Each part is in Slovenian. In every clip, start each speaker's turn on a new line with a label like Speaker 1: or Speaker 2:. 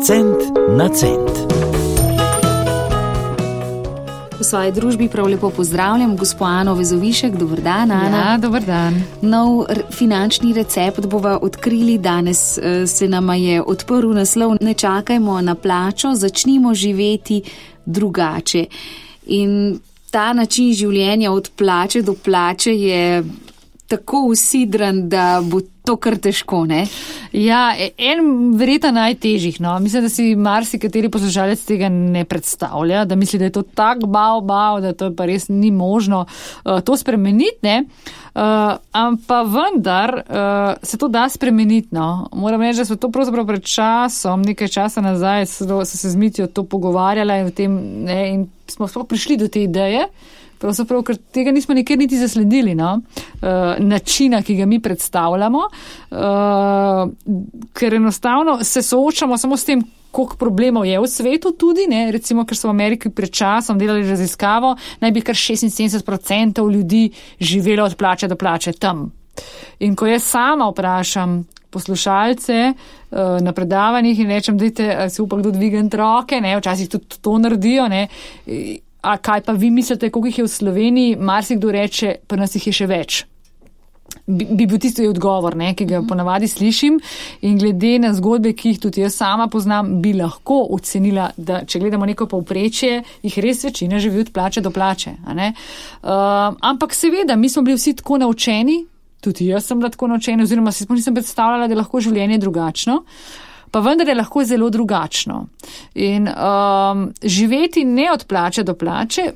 Speaker 1: Cent na cent.
Speaker 2: V svoji družbi prav lepo pozdravljam gospo Ano Vezovišek. Dober dan, Ana.
Speaker 3: Ja, dober dan.
Speaker 2: Nov finančni recept bova odkrili. Danes se nama je odprl naslov Ne čakajmo na plačo, začnimo živeti drugače. In ta način življenja od plače do plače je tako usidran, da bo to kar težko, ne?
Speaker 3: Ja, en verjetno najtežjih, no. Mislim, da si marsikateri poslušalec tega ne predstavlja, da misli, da je to tak bav, da to pa res ni možno to spremeniti, ne. Ampak vendar se to da spremeniti, no. Moram reči, da smo to pravzaprav pred časom, nekaj časa nazaj, so se z Mitjo to pogovarjala in v tem, ne, in smo sploh prišli do te ideje. Pravzaprav, ker tega nismo nikjer niti zasledili, no? Načina, ki ga mi predstavljamo, ker enostavno se soočamo samo s tem, koliko problemov je v svetu tudi, ne? Recimo, ker so v Ameriki pred časom delali raziskavo, naj bi kar 76% ljudi živelo od plače do plače tam. In ko jaz sama vprašam poslušalce na predavanjih in rečem, dajte, si upa kdo dvigant roke, ne? Včasih tudi to naredijo, ne? A kaj pa vi mislite, koliko jih je v Sloveniji? Marsikdo reče, pa nas jih je še več. Bi bil tisto odgovor, ne, ki ga ponavadi slišim, in glede na zgodbe, ki jih tudi jaz sama poznam, bi lahko ocenila, da če gledamo neko povprečje, jih res večina živi od plače do plače. A ne? Ampak seveda, mi smo bili vsi tako naučeni, tudi jaz sem bila tako naučena, oziroma si nisem predstavljala, da je lahko življenje drugačno. Pa vendar je lahko zelo drugačno. In živeti ne od plače do plače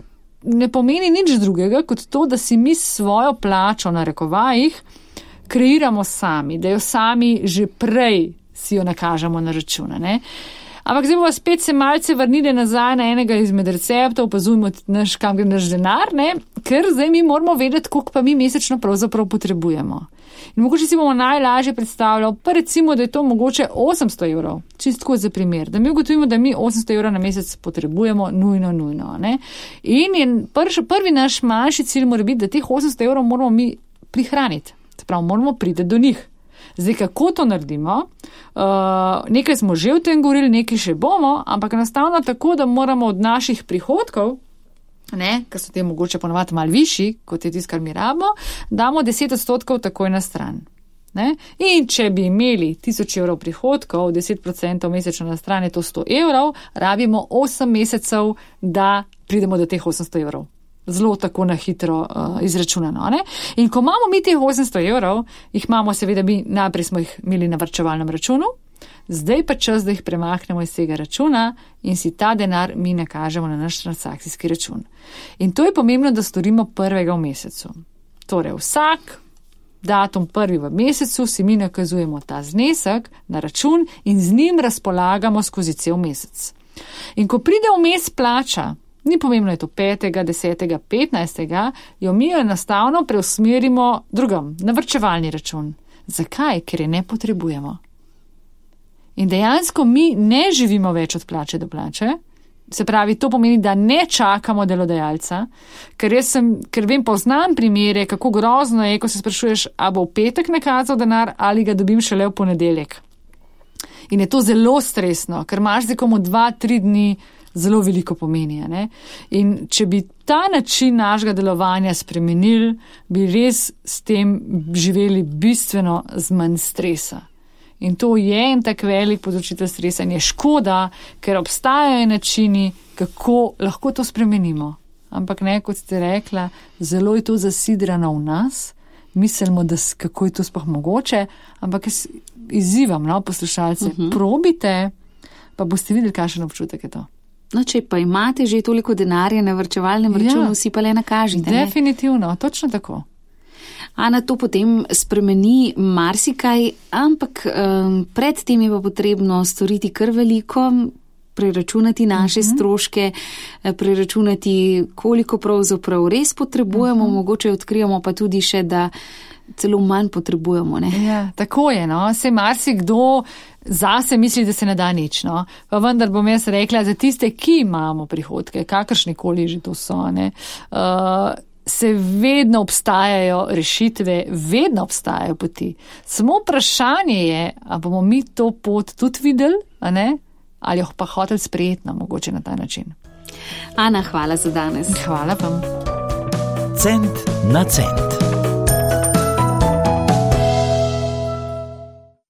Speaker 3: ne pomeni nič drugega, kot to, da si mi svojo plačo na rekovajih kreiramo sami, da jo sami že prej si jo nakažemo na račune, ne. Ampak zdaj bomo spet se malce vrnili nazaj na enega izmed receptov, opazujmo kam gre naš denar, ne, ker zdaj mi moramo vedeti, koliko pa mi mesečno pravzaprav potrebujemo. In mogoče si bomo najlažje predstavljali, pa recimo, da je to mogoče 800 evrov, čistko za primer, da mi ugotovimo, da mi 800 evrov na mesec potrebujemo nujno, ne. In je prvi naš manjši cilj mora biti, da teh 800 evrov moramo mi prihraniti, se pravi, moramo priti do njih. Zdaj, kako to naredimo? Nekaj smo že v tem govorili, nekaj še bomo, ampak enostavno tako, da moramo od naših prihodkov, ne, ker so te mogoče ponovati malo višji, kot je tisto, kar mi rabimo, damo 10% takoj na stran. Ne? In če bi imeli 1000 evrov prihodkov, 10% mesečno na stran je to 100 evrov, rabimo 8 mesecev, da pridemo do teh 800 evrov. Zelo tako na hitro izračunano. Ne? In ko imamo mi teh 800 evrov, jih imamo seveda mi, najprej smo jih imeli na varčevalnem računu, zdaj pa čas, da jih premaknemo iz tega računa in si ta denar mi nakažemo na naš transakcijski račun. In to je pomembno, da storimo prvega v mesecu. Torej vsak datum prvi v mesecu si mi nakazujemo ta znesek na račun in z njim razpolagamo skozi cel mesec. In ko pride vmes plača, ni pomembno, je to 5., 10., 15., jo mi enostavno preusmerimo drugam, na varčevalni račun. Zakaj? Ker je ne potrebujemo. In dejansko mi ne živimo več od plače do plače, se pravi, to pomeni, da ne čakamo delodajalca, ker vem, poznam primere, kako grozno je, ko se sprašuješ, a bo v petek nakazal denar ali ga dobim šele v ponedeljek. In je to zelo stresno, ker imaš zdaj komu 2-3 dni zelo veliko pomeni. Ne? In če bi ta način našega delovanja spremenili, bi res s tem živeli bistveno z manj stresa. In to je en tak velik povzročitelj stresa in je škoda, ker obstajajo načini, kako lahko to spremenimo. Ampak ne, kot ste rekla, zelo je to zasidrano v nas, mislimo, da kako je to sploh mogoče, ampak jaz izzivam, no, poslušalce, probite, pa boste videli, kakšen občutek je to.
Speaker 2: No, če pa imate že toliko denarja na varčevalnem računu, si pa le nakažite.
Speaker 3: Definitivno, točno tako.
Speaker 2: Ana, to potem spremeni marsikaj, ampak predtem je pa potrebno storiti kar veliko, preračunati naše stroške, preračunati, koliko pravzaprav res potrebujemo, mogoče odkrijemo pa tudi še, da celo manj potrebujemo. Ne?
Speaker 3: Ja, tako je, no. Se marsikdo zase misli, da se ne da nič, no. Pa vendar bom jaz rekla, za tiste, ki imamo prihodke, kakršnekoli že to so, ne, se vedno obstajajo rešitve, vedno obstajajo poti. Samo vprašanje je, a bomo mi to pot tudi videli, a ne? ali jo pa hotel sprejeti, mogoče na ta način.
Speaker 2: Ana, hvala za danes.
Speaker 3: Hvala vam.
Speaker 1: Cent na cent.